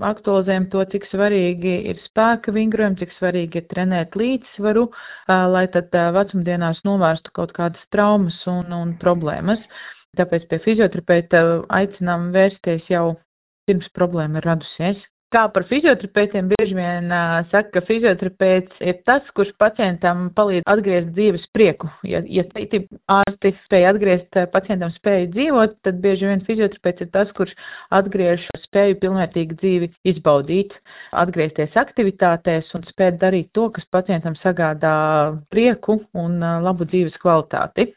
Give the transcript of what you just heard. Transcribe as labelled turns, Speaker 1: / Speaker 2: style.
Speaker 1: aktualizējam to, cik svarīgi ir spēka vingrojumi, cik svarīgi ir trenēt līdzsvaru, lai tad vecumdienās novērstu kaut kādas traumas un problēmas. Tāpēc pie fizioterapeita aicinām vērsties jau pirms problēma ir radusies. Kā par fizioterapeitiem bieži vien saka, ka fizioterapeits ir tas, kurš pacientam palīdz atgriezt dzīves prieku. Ja citi ārsti spēja atgriezt pacientam spēju dzīvot, tad bieži vien fizioterapeits ir tas, kurš atgriež spēju pilnvērtīgi dzīvi izbaudīt, atgriezties aktivitātēs un spēt darīt to, kas pacientam sagādā prieku un labu dzīves kvalitāti.